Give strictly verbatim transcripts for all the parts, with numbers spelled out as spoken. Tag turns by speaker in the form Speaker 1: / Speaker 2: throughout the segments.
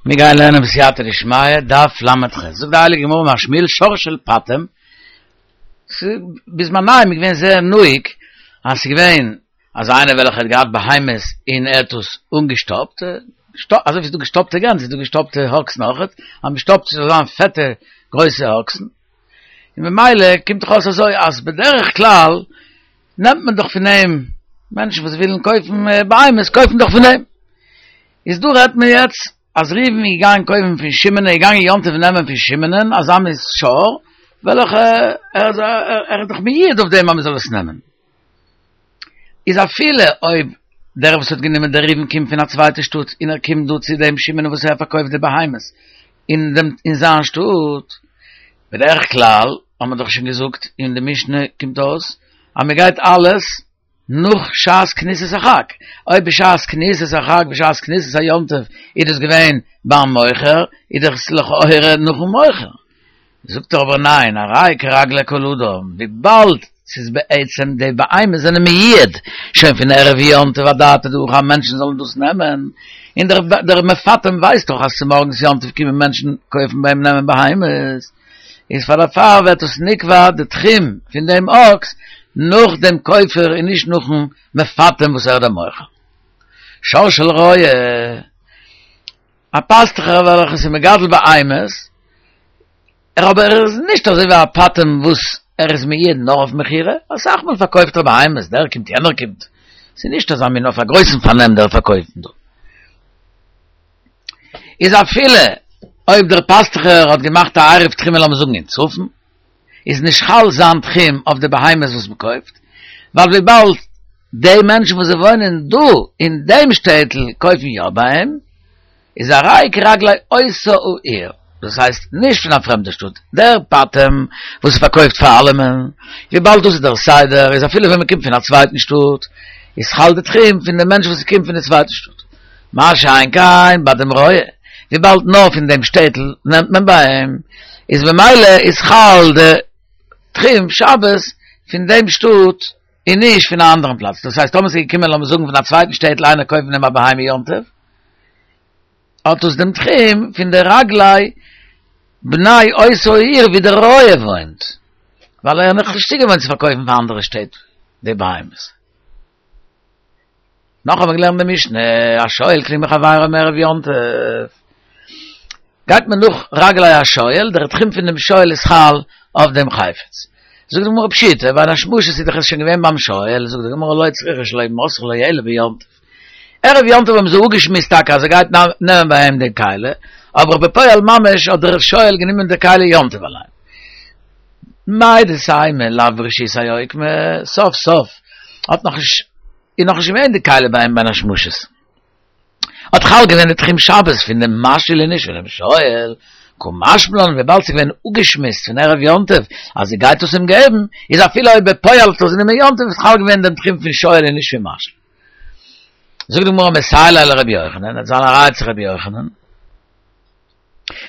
Speaker 1: מיר גייען לערנען בסייעתא דשמיא, דף ל"ח. זאגט די הייליגע גמרא אמר שמואל שור של פטם, בזמנם איז געווען זייער נוהג אז ס'איז געווען אז איינער וועלכער האט געהאט בהמות און ער האט עס אנגעשטאפט, אזוי ווי ס'איז דא געשטאפטע גענז איז דא געשטאפטע אקסן אויכעט, אז מ'שטאפט ס'זאל זיין פעטע גרויסע אקסן, און ממילא קומט דאך אויס אזוי אז בדרך כלל נעמט מען דאך פון אים, מענטשן וואס ווילן קויפן בהמות קויפן דאך פון אים, איז דא רעדט מען יעצט אז ראובן איז געגאנגען קויפן פון שמעון, ער איז געגאנגען יום טוב נעמען פון שמעונ'ען אזא מין שור, וועלכע ער איז ער איז דאך מיועד אויף דעם אז מען זאל עס נעמען. איז אפילו אויב דער וואס האט גענומען דער ראובן קומט פון א צווייטע שטאט און ער קומט דא צו דעם שמעון וואס ער פארקויפט די בהמות אין דעם אין זיין שטאט, בדרך כלל האט מען דאך שוין געזאגט אין די משנה קומט אויס אז מען גייט אלעס נאך שעת כניסת החג, אויב בשעת כניסת החג בשעת כניסת היום טוב איז דאס געווען ביים מוכר, איז דאך עס לכאורה נאכן מוכר. זאגט ער אבער ניין, הרי כרגלי כל אדם, וויבאלד ס'איז בעצם די בהמות זענען מיועד שוין פון ערב יום טוב אדעתא דהכי אז מענטשן זאלן דאס נעמען, און דער מפטם ווייסט דאך אז צומארגנס יום טוב קומען מענטשן קויפן ביי אים נעמען בהמות, איז פאר דערפאר ווערט עס נקבע די תחום פון דעם אקס נאך דעם קויפער און נישט נאכן מפטם וואס ער איז דער מוכר. שור של רועה, א פאסטוכער וועלכער איז מגדל בהמות, ער אבער ער איז נישט אזוי ווי א פטם וואס ער איז מיועד נאר אויף מכירה, אסאך מאל פארקויפט ער בהמות, דער קומט יענער קומט, ס'איז נישט אזא מין אויף א גרויסן פארנעם דער פארקויפן דא. איז אפילו אויב דער פאסטוכער האט געמאכט א עירוב תחומין לאמיר זאגן אין צפון, איז נישט חל זיין תחום אויף די בהמות וואס מען קויפט, ווייל וויבאלד די מענטשן וואס זיי וואוינען דא אין דעם שטעטל קויפן יא ביי אים, איז הרי כרגלי אותה העיר, דאס הייסט נישט פון א פרעמדע שטאט, דער פטם וואס פארקויפט פאר אלעמען, וויבאלד דאס איז דער סדר, איז אפילו ווען מען קומט פון א צווייטן שטאט, איז חל די תחום פון די מענטש וואס קומט פון די צווייטע שטאט. מה שאין כן ביי דעם רועה, וויבאלד נאר פון דעם שטעטל נעמט מען ביי אים, איז במילא איז חל די תחום שבת פון דעם שטאט און נישט פון א אנדערן פלאץ. דאס הייסט טאמער ס'איז געקומען לאמיר זאגן פון א צווייטן שטעטל איינער קויפן אים א בהמה יום טוב, האט עס דעם תחום פון די רגלי בני אותה העיר ווי דער רועה וואוינט, ווייל ער איז נאכנישט צוגעוואוינט צו פארקויפן פאר אנדערע שטעט די בהמות. נאך האבן מיר געלערנט די משנה, השואל כלי מחבירו מערב יום טוב. גייט מען נאך רגלי השואל, דער תחום פון דעם שואל איז חל אויף דעם חפץ. זאגט די גמרא פשיטא, בין השמשות איז דאך עס שוין געווען ביים שואל, זאגט די גמרא לא צריכא שלא מסרה לו אלא ביום טוב. ערב יום טוב האבן זיי אפגעשמועסט טאקע אז ער גייט נעמען ביי אים די כלי, אבער בפועל ממש האט דער שואל גענומען די כלי יום טוב אליין. מהו דתימא לאו ברשותיה אוקמה, סוף סוף האט נאך נישט איז נאך נישט געווען די כלי ביי אים בין השמשות. האט חל געווען די תחום שבת פון דעם משאיל און נישט פון דעם שואל, קא משמע לן וויבאלד ס'איז געווען אפגעשמועסט פון ערב יום טוב אז ער גייט עס אים געבן, איז אפילו אויב בפועל האט ער עס גענומען יום טוב איז חל געווען דעם תחום פון שואל און נישט פון משאיל. זאגט די גמרא מסייע ליה לרבי יוחנן, וועט זיין א ראיה צו רבי יוחנן.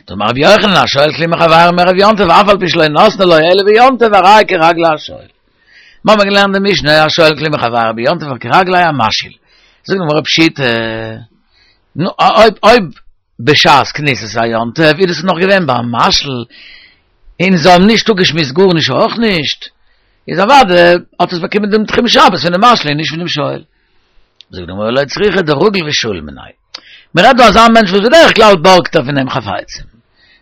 Speaker 1: דאמר רבי יוחנן השואל כלי מחברו מערב יום טוב אף על פי שלא נתנו לו אלא ביום טוב הרי כרגלי השואל. מיר האבן געלערנט די משנה השואל כלי מחברו ביום טוב כרגלי המשאיל. זאגט די גמרא פשיטא, נו אויב אויב בשעת כניסת היום טוב איז עס נאך געווען ביים משאיל און זיי האבן נישט אפגעשמועסט גארנישט אויך נישט, איז אוודאי האט עס באקומען דעם תחום שבת פונעם משאיל און נישט פונעם שואל. זאגט די גמרא לא צריכא דרגיל ושאיל מיניה. מען רעדט דא אזא מענטש וואס בדרך כלל בארגט ער פון אים חפצים.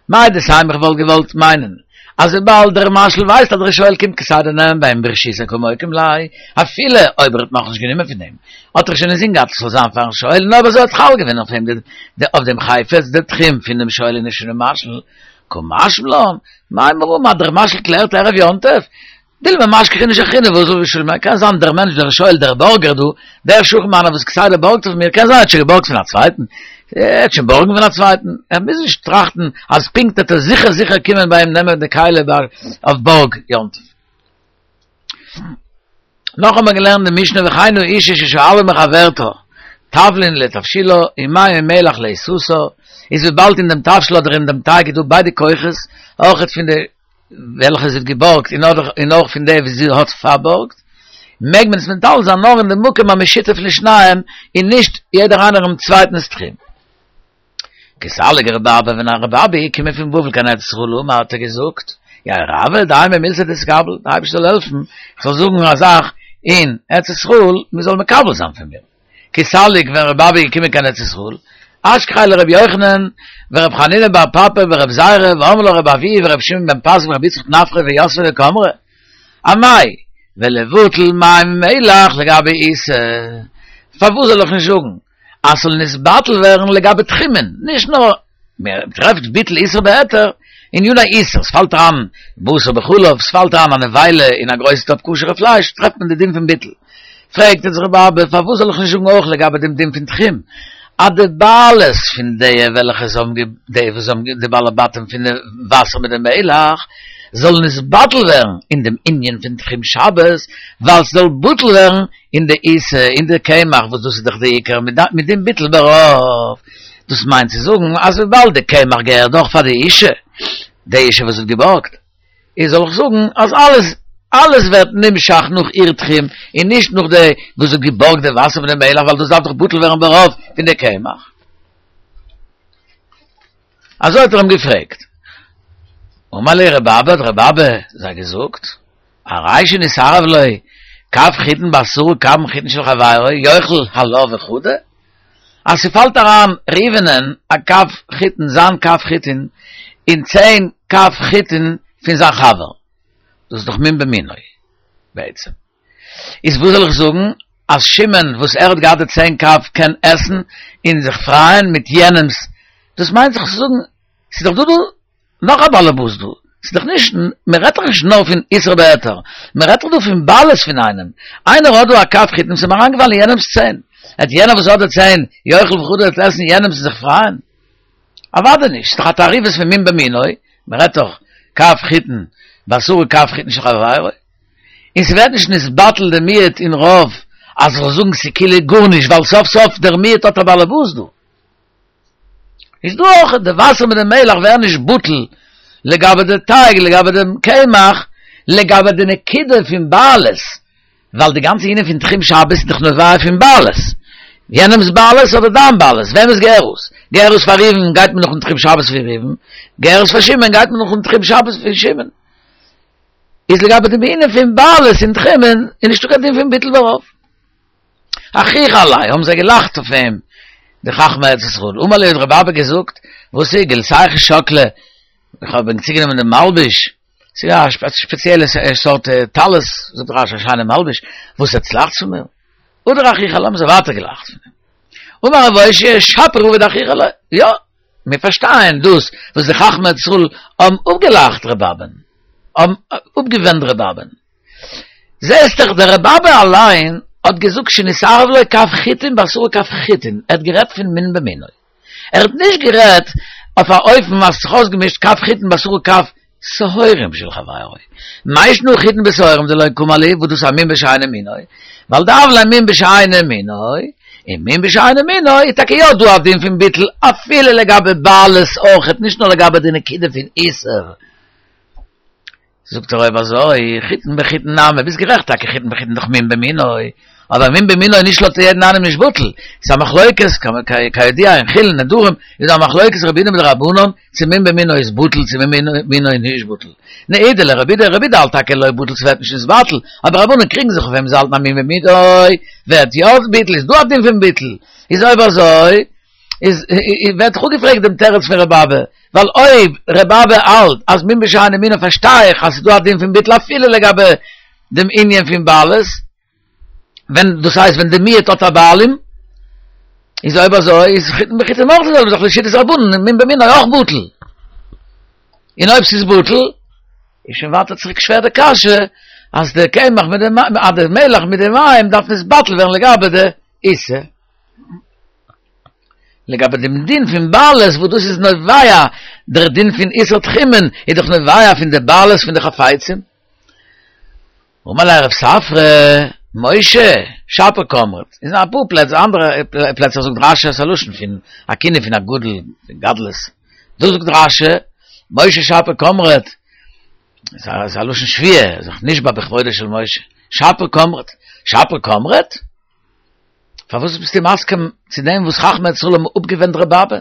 Speaker 1: מהו דתימא איך וואלט געוואלט מיינען אז וויבאלד דער משאיל ווייסט אז דער שואל קומט כסדר נעמען ביי אים ברשותיה קא מוקים ליה, אפילו אויב ער האט נאכנישט גענומען פון אים, האט ער שוין אינזין געהאט עס זאל זיין פארן שואל, און אויב אזוי האט חל געווען אויף אים אויף דעם חפץ דער תחום פון דעם שואל און נישט פונעם משאיל. קא משמע לן, מימרא אז דער משאיל קלערט ערב יום טוב, דילמא משכח איניש אחרינא ואזיל ושאיל מיניה, קען זיין דער מענטש דער שואל דער בארגער דא, דער שכן מיינער וואס כסדר בארגט פון מיר, קען זיין ער האט שוין געבארגט פון א צווייטן, ער וועט שוין בארגן פון א צווייטן, ער מוז נישט טראכטן אז פונקט וועט ער זיכער זיכער קומען ביי אים נעמען די כלי אויף בארג יום טוב. נאך האט מען געלערנט די משנה וכן האשה ששאלה מחברתה תבלין לתבשילה ומים ומלח לעיסתה, איז וויבאלד אין דעם תבשיל אדער אין דעם טייג איז דא ביידע כוחות, אויכעט פון די וועלכע זי האט געבארגט און אויך פון די וואס זי האט פארבארגט, מעג מען עס מטלטל זיין נאר אין די מקום המשותף לשניהם און נישט יעדער איינער אינעם צווייטנס תחום. כי סליק רבי אבא, ווען רבי אבא איז געקומען פון בבל קיין ארץ ישראל, אמר האט ער געזאגט, יא רבי, דהאי מילתא דאתקבל, דער אייבערשטער זאל העלפן, איך זאל זאגן א זאך אין ארץ ישראל, מען זאל מקבל זיין פון מיר. כי סליק ווען רבי אבא איז געקומען קיין ארץ ישראל, אשכחיה לרבי יוחנן, ורבי חנינא בר פפא ורבי זירא, ואמרי לה רבי אבהו ורבי שמעון בן פזי ורבי יצחק נפחא ויתבי וקאמרי. אמאי, ולבטל מים ומלח לגבי עיסה. פארוואס זאל איך נישט זאגן אז ס'זאל נתבטל ווערן לגבי תחומין, נישט נאר מען טרעפט ביטול איסור בהיתר אין עניני איסור, ס'פאלט אריין בשר בחלב, ס'פאלט אריין א נבילה אין א גרויסע טאפ כשר'ע פלייש, טרעפט מען די דין פון ביטול. פרעגט אונז רבי אבא, פארוואס זאל איך נישט זאגן אויך לגבי דעם דין פון תחום, אז די בעלות פון די וועלכע עס האבן די וואס האבן די בעלי בתים פון די וואסער מיט די מלח, זאל נתבטל ווערן אין דעם ענין פון תחום שבת, ווייל ס'זאל בטל ווערן אין די עיסה, אין די קמח, וואס דאס איז דאך די עיקר מיט דעם ביטול ברוב. דאס מיינט צו זאגן אז וויבאלד די קמח געהערט דאך פאר די אישה, די אישה וואס האט געבארגט, איז זאל איך זאגן אז אלעס אלעס ווערט נמשך נאך איר תחום און נישט נאך די וואס האט געבארגט די וואסער פון די מלח ווייל דאס דארף דאך בטל ווערן ברוב פון די קמח. אזוי האט ער אים געפרעגט. אמר ליה רבי אבא, האט רבי אבא זיי געזאגט, הרי שנתערב לו קב חיטין בעשרה קבין חיטין של חברו יאכל עלה וחדא, אז ס'פאלט אריין ראובנ'ען א קב חיטין, זיין קב חיטין, אין צען קב חיטין פון זיין חבר, דאס איז דאך מין במינו בעצם. איז וואס זאל איך זאגן, אז שמעון וואס ער האט געהאט די צען קב קען עסן און זיך פרייען מיט יענעמ'ס, דאס מיינט זיך צו זאגן, ס'איז דאך דא דא נאך א באלעבאס דא, ס'איז דאך נישט, מען רעדט דאך נישט נאר פון איסור בהיתר, מען רעדט דאך דא פון בעלות פון איינעם, איינער האט דא א קב חיטים, ס'איז אים אריינגעפאלן אין יענעמ'ס צען, העט יענער וואס האט די צען יאכל וחדא העט עסן יענעמ'ס און זיך פרייען? אוודאי נישט, ס'איז דאך א תערובת פון מין במינו, מען רעדט דאך קב חיטין בעשרה קב חיטין של חברו, און ס'ווערט נישט נתבטל די מיעוט אין רוב אז כ'זאל זאגן ס'כאילו גארנישט ווייל סוף סוף דער מיעוט האט א באלעבאס דא. איז דא אויך די וואסער מיט די מלח ווערן נישט בטל לגבי די טייג לגבי די קמח לגבי די נקודה פון בעלות ווייל די גאנצע ענין פון תחום שבת איז דאך נובע פון בעלות יענעמס בעלות אדער דיין בעלות וועמענס געהער עס געהער עס פאר ראובן גייט מען נאכן תחום שבת פון ראובן געהער עס פאר שמעון גייט מען נאכן תחום שבת פון שמעון איז לגבי דעם ענין פון בעלות אין תחומין איז נישטא קיין דין פון ביטול ברוב. אחיכו עליה, האבן זיי געלאכט אויף אים, די חכמי ארץ ישראל. אמר להו האט רבי אבא געזאגט, וואס איז, גילתייכו שקלי, איך האב ענק צוגענומען דעם מלבוש, ס'איז א ספעציעלע סארט טלית, זאגט רשי, א שיינע מלבוש, וואס עטס לאכטס פון מיר? הדר אחיכו עליה, האבן זיי ווייטער געלאכט פון אים. אמר רב אושעיא, שפיר עביד אחיכו עליה, יא, מיר פארשטייען דאס וואס די חכמי ארץ ישראל האבן אפגעלאכט רבי אבא'ן, האבן אפגעווענדט רבי אבא'ן. זעסט דאך דער רבי אבא אליין האט געזאגט שנתערב לו קב חיטין בעשרה קב חיטין, ער האט גערעדט פון מין במינו, ער האט נישט גערעדט אויף א אופן אז ס'זיך אויסגעמישט קב חיטין בעשרה קב שעורים של חברו, מאי שנא חיטין בשעורים דלא קאמר להו וואס דאס איז א מין בשאינו מינו, ווייל דהוה ליה מין בשאינו מינו, און מין בשאינו מינו איז טאקע יא דא א דין פון ביטול אפילו לגבי בעלות אויכעט נישט נאר לגבי די נקודה פון איסור. זאגט ער אויב אזוי, חיטין בחיטין נמי, ביסט גערעכט טאקע חיטין בחיטין דאך מין במינו, אבער מין במינו איז נישט לויט יעדן איינעם נישט בטל, ס'איז א מחלוקת, כידוע אין חולין נדרים איז דא א מחלוקת רבי יהודה מיט די רבנן צו מין במינו איז בטל צו מין במינו איז נישט בטל, נהי דלרבי יהודה, רבי יהודה האלט טאקע לא בטל ס'ווערט נישט נתבטל, אבער רבנן קריגן זיך אויף אים זיי האלטן אז מין במינו ווערט יא בטל איז דא א דין פון ביטול, איז אויב אזוי איז ווערט דאך אפגעפרעגט דעם תירוץ פון רבי אבא, ווייל אויב רבי אבא האלט אז מין בשאינו מינו פארשטיי איך אז ס'איז דא א דין פון ביטול אפילו לגבי דעם ענין פון בעלות, ווען דאס הייסט ווען די מיעוט האט א בעלים, איז אויב אזוי איז חיטין בחיטין אויך די זעלבע זאך לשיטת רבנן מין במינו אויך בטל, און אויב ס'איז בטל איז שוין ווייטער צוריק שווער די קשיא אז די קמח מיט די אז די מלח מיט די מים דארף נתבטל ווערן לגבי די עיסה. לגבי דעם דין פון בעלות וואס דאס איז נובע דער דין פון איסור תחומין איז דאך נובע פון די בעלות פון די חפצים. אמר ליה רב ספרא, משה, שפיר קאמרת, אין אפאר פלעצער, אנדערע פלעצער זאגט רשי עס א לשון פון א כינוי פון א גדול, פון גדלות, דא זאגט רשי, משה שפיר קאמרת, עס איז א לשון שבועה, זיך נשבע בכבודו של משה, שפיר קאמרת, שפיר קאמרת? פארוואס ביסטו מסכים צו דעם וואס חכמי ישראל האבן אפגעווענדט ר' אבא?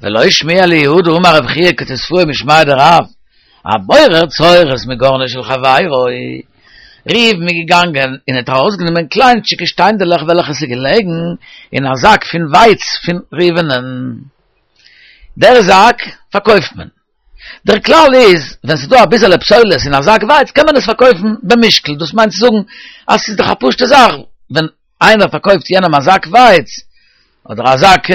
Speaker 1: ולא שמיע ליהודה אמר רב חייא כתספוה משמיה דרב, הבורר צרורות מגורנו של חברו. ראובן איז געגאנגען און האט ארויסגענומען קליינטשיגע שטיינדעלעך וועלכע ס'איז געלעגן אין א זאק פון ווייץ פון ראובנ'ען. דער זאק פארקויפט מען. דער כלל איז, ווען ס'איז דא אביסעלע פסולת אין א זאק ווייץ קען מען עס פארקויפן במשקל, דאס מיינט צו זאגן אז ס'איז דאך א פשוטע זאך, ווען איינער פארקויפט יענעם א זאק ווייץ, אדער א זאק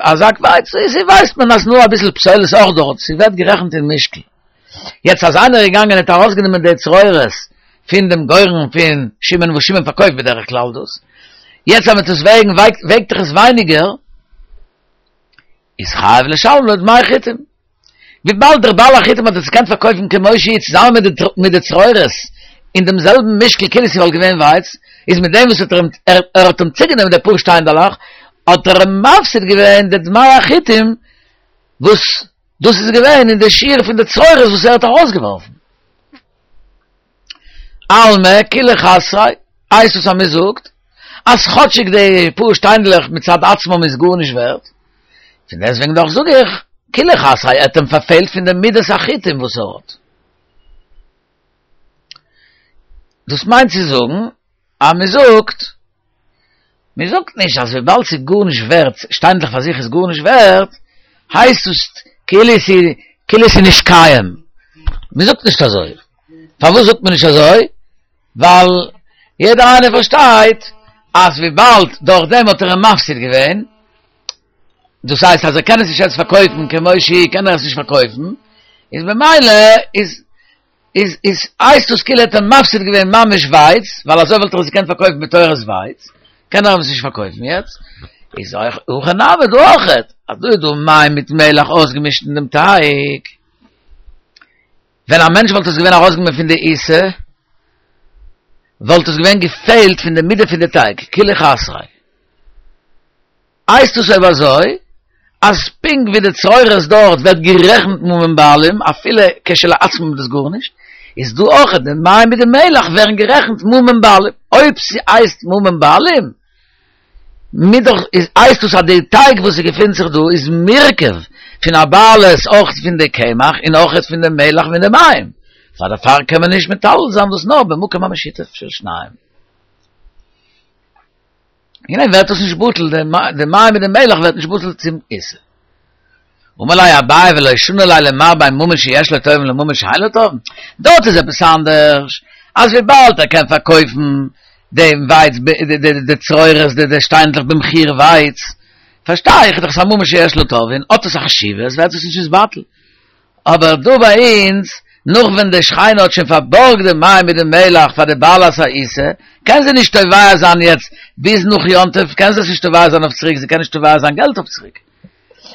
Speaker 1: א זאק ווייץ, איז ווייסט מען אז נאר אביסל פסולת אויך דארט, ס'ווערט גערעכנט אין משקל. יעצט אז איינער איז געגאנגען און האט ארויסגענומען די צרורות פון דעם גורן פון שמעון וואס שמעון פארקויפט בדרך כלל דאס, יעצט אז מ'טוט עס וועגן וועגט דאך עס ווייניגער, איז חייב לשלם לו דמי חיטים. וויבאלד דער בעל החיטים האט עס געקענט פארקויפן כמו שהיא צוזאמען מיט די צרורות אין דעם זעלבן משקל כאילו ס'וואלט געווען ווייץ, איז מיט דעם וואס ער האט אים צוגענומען די פאר שטיינדעלעך האט ער אים מפסיד געווען די דמי החיטים וואס דאס איז געווען אין די שיעור פון די צרורות וואס ער האט ארויסגעווארפן. אלמא כוליה חסריה, הייסט עס אז מען זאגט אז כאטשיג די פאר שטיינדלעך מצד עצמם איז גארנישט ווערט, פון דעסטוועגן דאך זאג איך, כוליה חסריה, ער האט אים פארפעלט פון די מידת החיטים וואס ער האט. דאס מיינט צו זאגן אז מען זאגט, מען זאגט נישט אז וויבאלד ס'איז גארנישט ווערט, שטיינדלעך פאר זיך איז גארנישט ווערט, הייסט עס כאילו ס'איז כאילו ס'איז נישט קיים. מען זאגט נישט אזוי. פארוואס זאגט מען נישט אזוי? ווייל יעדער איינער פארשטייט אז וויבאלד דורך דעם האט ער אים מפסיד געווען, דאס הייסט אז ער קען עס נישט יעצט פארקויפן כמו שהיא קען ער עס נישט פארקויפן, איז במילא איז איז איז הייסט עס כאילו ער האט אים מפסיד געווען ממש ווייץ, ווייל אזוי וואלט ער עס געקענט פארקויפן בתורת ווייץ, קען ער אים עס נישט פארקויפן יעצט, איז אויך הכא נמי דא אויכעט, אז דא איז דא מים מיט מלח אויסגעמישט אין דעם טייג. ווען א מענטש וואלט עס געווען ארויסגענומען פון די עיסה, וואלט עס געווען געפעלט פון די מידה פון די טייג, כוליה חסריה. הייסט עס אויב אזוי, אז פונקט ווי די צרורות דארט ווערט גערעכנט ממון בעלים, אפילו כשלעצמם איז דאס גארנישט, איז דא אויך די מים מיט די מלח ווערן גערעכנט ממון בעלים. אויב ס'הייסט ממון בעלים, מיט דאך איז הייסט דאס אז די טייג וואס ס'געפינט זיך דא איז מורכב פון א בעלות אויך פון די קמח און אויך פון די מלח און די מים, פאר דערפאר קען מען נישט מטלטל זיין דאס נאר במקום המשותף של שניים. און וועגן דעם ווערט דאס נישט בטל, די מים מיט די מלח ווערט נישט בטל צום עיסה. אמר ליה אביי ולא שני ליה למר בין ממון שיש לו תובעין לממון שאין לו תובעין, דארט איז עפעס אנדערש, אז וויבאלד ער קען פארקויפן דעם ווייץ די צרורות די שטיינדלעך במחיר ווייץ, פארשטיי איך דאך ס'איז א ממון שיש לו תובעין, האט עס א חשיבות ווערט עס נישט נתבטל. אבער דא ביי אונז, נאך ווען די שכנה האט שוין פארבארגט די מים מיט די מלח פאר די בעלת העיסה, קען זי נישט תובע זיין יעצט ביז נאך יום טוב, קען זי עס נישט תובע זיין אויף צוריק, זי קען נישט תובע זיין געלט אויף צוריק.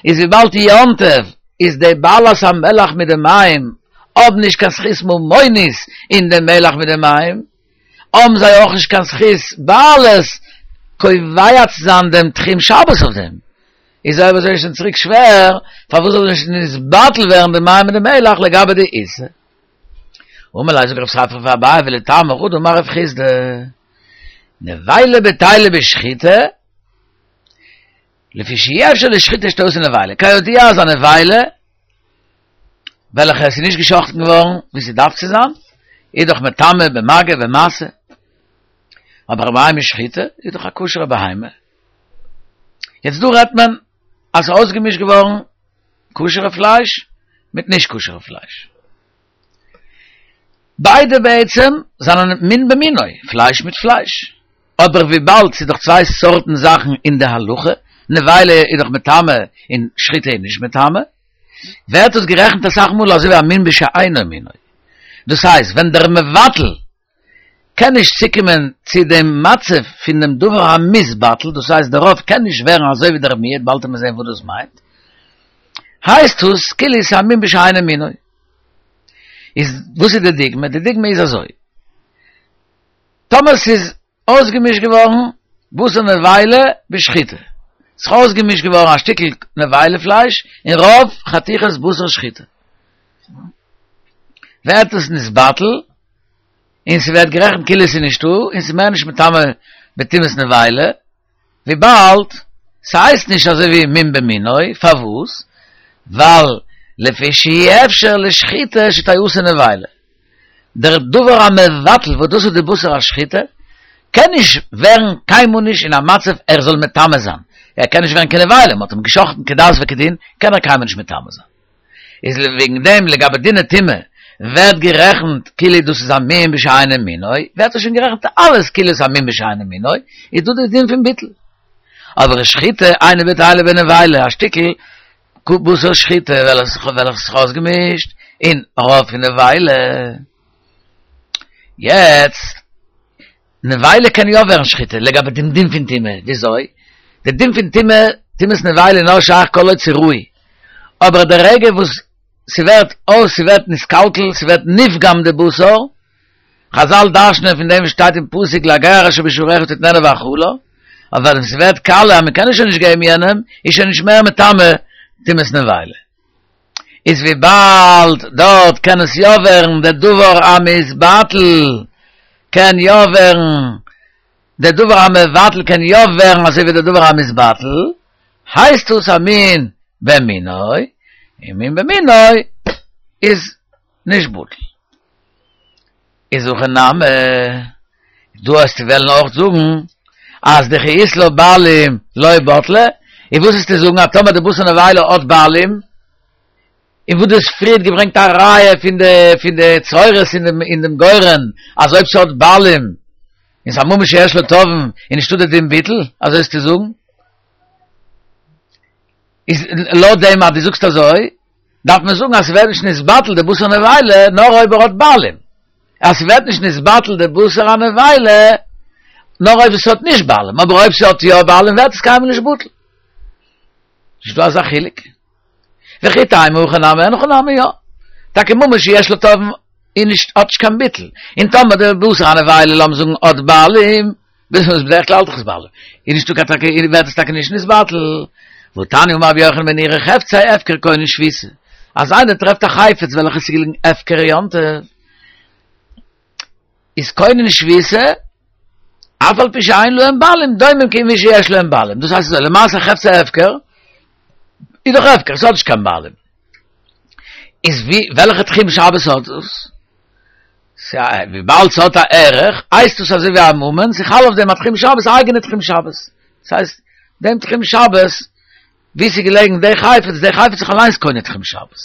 Speaker 1: איז וויבאלד יום טוב איז די בעלת המלח מיט די מים האבן נישט קיין זכות ממונית אין די מלח מיט די מים, האבן זיי אויך נישט קיין זכות בעלות קובע צו זיין דעם תחום שבת אויף דעם. איז אויב אזוי איז שוין צוריק שווער, פארוואס זאל נישט נתבטל ווערן די מים מיט די מלח לגבי די עיסה? אמר ליה זאגט רב ספרא פאר אביי ולטעמיך הא דאמר רב חסדא נבילה בטילה בשחיטה לפי שאי אפשר לשחיטה שתעשה נבילה כידוע אז א נבילה וועלכע עס איז נישט געשחטן געווארן ווי ס'דארף צו זיין איז דאך מטמא במגע במשא אבער א בהמה שחוטה איז דאך א כשר'ע בהמה יעצט דא רעדט מען אז ס'איז אויסגעמישט געווארן כשר'ע פלייש מיט נישט כשר'ע פלייש. ביידע בעצם זענען מין במינו, פלייש מיט פלייש. אבער וויבאלד ס'איז דאך צוויי סארטן זאכן אין די הלכה, נבילה איז דאך מטמא און שחיטה איז נישט מטמא, ווערט עס גערעכנט אסאך מאל אזוי ווי א מין בשאינו מינו. דאס הייסט ווען דער מבטל קען נישט צוקומען צו דעם מצב פון דעם דבר המתבטל, דאס הייסט דער רוב קען נישט ווערן אזוי ווי דער מיעוט, באלד וועט מען זען וואס דאס מיינט, הייסט עס כאילו ס'איז א מין בשאינו מינו. איז וואס איז די דוגמא? די דוגמא איז אזוי, טאמער ס'איז אויסגעמישט געווארן בשר נבילה בשחיטה, ס'איז אויסגעמישט געווארן א שטיקל נבילה פלייש און רוב חתיכות בשר שחיטה, ווערט עס נתבטל, און ס'ווערט גערעכנט כאילו ס'איז נישטא, און ס'איז מער נישט מטמא בטומאת נבילה, וויבאלד ס'הייסט נישט אזוי ווי מין במינוי, פארוואס? ווייל לפי שאי אפשר לשחיטה שתיעשה נבילה. דער דבר המבטל, וואס דאס איז די בשר השחיטה, קען נישט ווערן קיינמאל נישט אין א מצב ער זאל מטמא זיין. ער קען נישט ווערן קיין נבילה, מ'האט אים געשחטן כדת וכדין, קען ער קיינמאל נישט מטמא זיין. איז וועגן דעם לגבי דיני טומאה ווערט גערעכנט כאילו דאס איז א מין בשאינו מינו, ווערט עס שוין גערעכנט אלעס כאילו עס איז א מין בשאינו מינו, איז דא די דין פון ביטול. אבער שחיטה אינה בטלה בנבילה, א שטיקל בשר שחיטה וועלכעס וועלכעס איז אויסגעמישט אין רוב פון נבילה. יעצט, נבילה קען יא ווערן שחיטה, לגבי דעם דין פון טומאה, וויאזוי? די דין פון טומאה, טומאת נבילה איז נאר שייך כל עוד ס'רוי. אבער די רגע וואס ס'ווערט אויס, ס'ווערט נתקלקל, ס'ווערט נפגם די בשר, חזל דרש'נען פון דעם וואס שטייט אין פסוק לגר אשר בשעריך תתננה ואכלה, אבער ווען ס'ווערט קאלע אז מ'קען עס שוין נישט געבן יענעם, איז שוין נישט מער מטמא טומאת נבילה. איז וויבאלד דארט קען עס יא ווערן דער דבר המתבטל קען יא ווערן דער דבר המבטל קען יא ווערן אזוי ווי דער דבר המתבטל, הייסט עס א מין במינו, און מין במינו איז נישט בטל. איז הכא נמי, דא וועסטו וועלן אויך זאגן אז דכי אית לה בעלים לא בטלה, און וואס וועסטו זאגן אז טאמער די בשר נבילה האט בעלים, און וואס דו האסט פריערט געברענגט א ראיה פון די פון די צרורות אין דעם אין דעם גורן אז אויב ס'האט בעלים און ס'איז א ממון שיש לו תובעים איז נישטא די דין ביטול, אזוי וועסטו זאגן? איז לויט דעם אז דו זאגסט אזוי דארף מען זאגן אז ס'ווערט נישט נתבטל די בשר נבילה נאר אויב ער האט בעלים, אז ס'ווערט נישט נתבטל די בשר הנבילה נאר אויב עס האט נישט בעלים, אבער אויב ס'האט יא בעלים ווערט עס קיינמאל נישט בטל. נישט דא אזא חילוק. וכי תימא הכא נמי אין הכי נמי יא. טאקע ממון שיש לו תובעים איז נישט האט נישט קיין ביטול. און טאמער די בשר הנבילה לאמיר זאגן האט בעלים, בדרך כלל האט דאך עס בעלים, איז נישטא קיין טאקע ווערט עס טאקע נישט נתבטל. והתניא אמר רבי יוחנן בן נורי חפצי הפקר קונין שביתה. אז איינער טרעפט א חפץ וועלכע איז געליגן הפקר יום טוב, איז קונין שביתה, אף על פי שאין להם בעלים, דומים כמי שיש להם בעלים. דאס הייסט אזוי, למעשה חפצי הפקר, איז דאך הפקר, ס'האט נישט קיין בעלים. איז ווי, וועלכע תחום שבת האט דאס? וויבאלד ס'האט א ערך, הייסט דאס אזוי ווי א ממון, ס'חל אויף דעם א תחום שבת, א אייגענע תחום שבת. דאס הייסט, דעם תחום שבת, ווי ס'איז געלעגן די חפץ, די חפץ איז זיך אליינס קונה תחום שבת.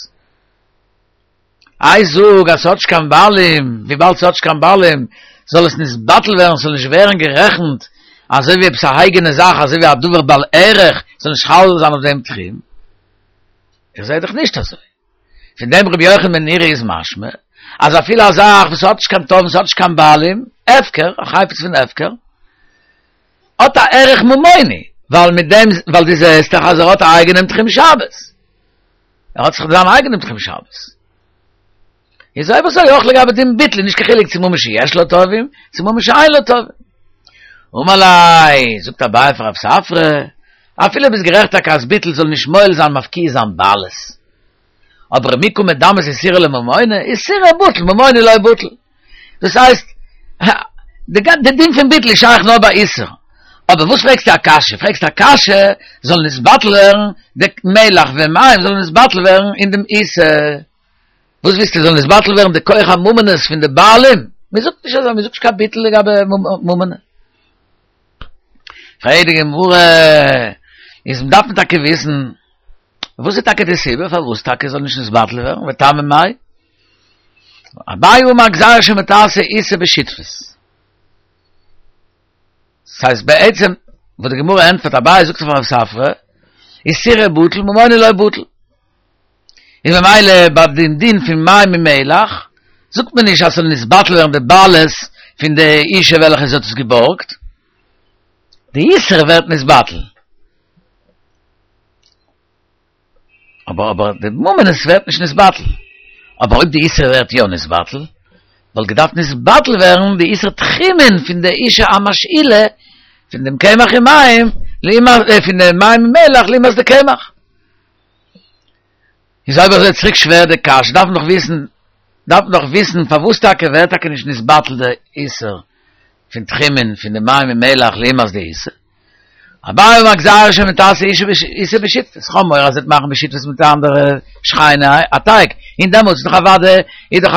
Speaker 1: איי זאג אז ס'האט נישט קיין בעלים, וויבאלד ס'האט נישט קיין בעלים זאל עס נתבטל ווערן, ס'זאל נישט ווערן גערעכנט אזוי ווי עפעס א אייגענע זאך, אזוי ווי א דבר בעל ערך, ס'זאל נישט חל זיין אויף דעם תחום. איך זע דאך נישט אזוי. פון דעם רבי יוחנן בן נורי איז משמע אז אפילו א זאך וואס האט נישט קיין תובעים, ס'האט נישט קיין בעלים, הפקר, א חפץ פון הפקר, האט א ערך ממוני, ווייל מיט דעם, ווייל דו זעסט דאך אז ער האט א אייגענעם תחום שבת. ער האט זיך זיין אייגענעם תחום שבת. איז אויב אזוי אויך לגבי דעם ביטול, נישט קיין חילוק צו ממון שיש לו תובעים, צו ממון שאין לו תובעים. אמר ליה, זאגט אביי פאר רב ספרא, אפילו ביסט גערעכט טאקע אז ביטול זאל נישט מועיל זיין מפקיע זיין בעלות. אבער מי קא מדמית איסורא לממונא, איסורא בטיל, ממונא לא בטיל. דאס הייסט, די דין פון ביטול איז שייך נאר ביי איסור. אבער וואס פרעגסטו א קשיא? פרעגסט א קשיא זאל נתבטל ווערן די מלח ומים זאל נתבטל ווערן אין דעם איסור. וואס ווילסטו זאל נתבטל ווערן די כח הממונות פון די בעלים? מען זאגט נישט אזוי, מען זאגט נישט קיין ביטול לגבי ממונא. פרעגט די גמרא, איז דארף מען טאקע וויסן וואס איז טאקע די סיבה פארוואס טאקע זאל נישט נתבטל ווערן, וטעמא מאי? אביי אמר גזירה שמא תעשה איסור בשותפות. ס'הייסט בעצם וואס די גמרא ענטפערט אביי זאגט אויף רב ספרא, איסורא בטיל ממונא לא בטיל. איז ממילא ביי דעם דין פון מים ומלח זאגט מען נישט אז ס'זאל נתבטל ווערן די בעלות פון די אישה וועלכע זי האט עס געבארגט, די איסור ווערט נתבטל. אבער אבער די ממונות ווערט נישט נתבטל. אבער אויב די איסור ווערט יא נתבטל, וואלט געדארפט נתבטל ווערן די איסור תחומין פון די אישה המשאילה פון דעם קמח און מים, פון די מים און מלח לעומת די קמח. איז אויב אזוי צוריק שווער די קשיא, דארף מען דאך וויסן, דארף מען דאך וויסן פארוואס טאקע ווערט טאקע נישט נתבטל די איסור פון תחומין פון די מים און מלח לעומת די איסור. אביי אמר גזירה שמא תעשה עיסה בשותפות. כ'האב מורא אז זי וועט מאכן בשותפות מיט אנדערע שכנה א טייג. און דעמאלטס איז דאך אוודאי איז דאך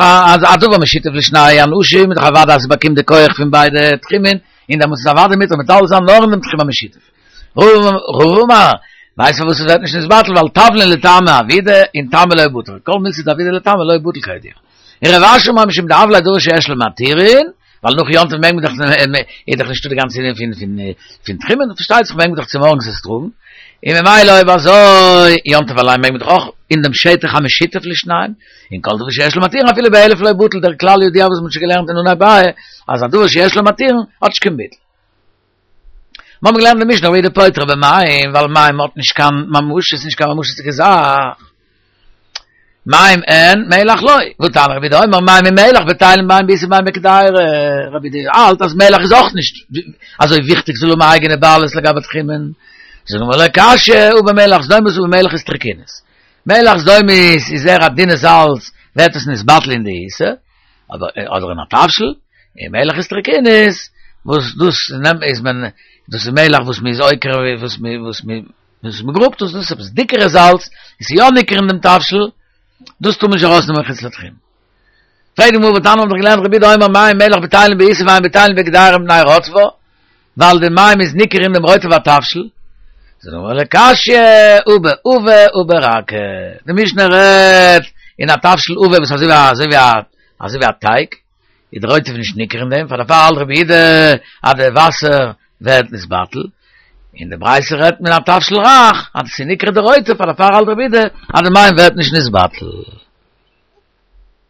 Speaker 1: א דבר משותף לשני אנשים, איז דאך אוודאי אז זי באקומט די כח פון ביידע תחומין, און דעמאלטס איז אוודאי מותר מטלטל זיין נאר אין דעם תחום המשותף. רבא אמר, ווייסט פארוואס עס ווערט נישט נתבטל? ווייל תבלין לטעמיה עבידי און טעמא לא בטיל. כל מילתא דעבידא לטעמיה לא בטיל כידוע. און רב אשי אמר משום דהוה ליה דבר שיש לו מתירין, ווייל נאך יום טוב מעג מען דאך, איז דאך נישטא די גאנצע ענין פון פון פון תחומין, פארשטייט זיך מעג מען דאך צומארגנס עס טראגן, און ממילא אויב אזוי, יום טוב אליין מעג מען דאך אויך אין דעם שטח המשותף לשניים, און כל דבר שיש לו מתירין אפילו באלף לא בטיל, דער כלל ידוע וואס מען האט שוין געלערנט אין אנהייב ביי, אז א דבר שיש לו מתירין האט נישט קיין ביטול. מיר האבן געלערנט אין משנה רבי יהודה פוטר במים, ווייל מים האט נישט קיין ממשות, נישט קיין ממשות'דיגע זאך. מים אין, מלח לא. והתניא רבי יהודה אומר, מים ומלח בטלין בין בעיסה בין בקדירה. רבי יהודה האלט אז מלח איז אויך נישט אזוי וויכטיג זאל האבן א אייגענע בעלות לגבי תחומין. זאגט די גמרא לא קשיא, הא במלח סדומית הא במלח איסטרקינית. מלח סדומית איז זייער א דינע זאלץ, ווערט עס נתבטל אין די עיסה, אדער אין א תבשיל, און מלח איסטרקינית, וואס דאס נעמט איז מען, דאס איז מלח וואס מען איז עוקר וואס מען וואס מען וואס מען גראבט דאס, דאס איז עפעס דיקערע זאלץ, איז יא ניכר אין דעם תבשיל, דאס טאר מען נישט ארויסנעמען מחוץ לתחום. פרעגט די גמרא והתניא האבן דאך געלערנט רבי יהודה אומר מים ומלח בטלין בעיסה ואין בטלין בקדירה מפני רוטבה, ווייל די מים איז ניכר אין דעם רוטב התבשיל. זאגט די גמרא לא קשיא, הא בעבה הא ברכה. די משנה רעדט אין א תבשיל עבה וואס אזוי ווי אזוי ווי א אזוי ווי א טייג, איז די רוטב נישט ניכר אין דעם, פאר דערפאר האלט רבי יהודה אז די וואסער ווערט נתבטל, אין די ברייתא רעדט מען א תבשיל רך, אז עס איז ניכר די רוטב, פאר דערפאר האלט רבי יהודה אז די מים ווערט נישט נתבטל.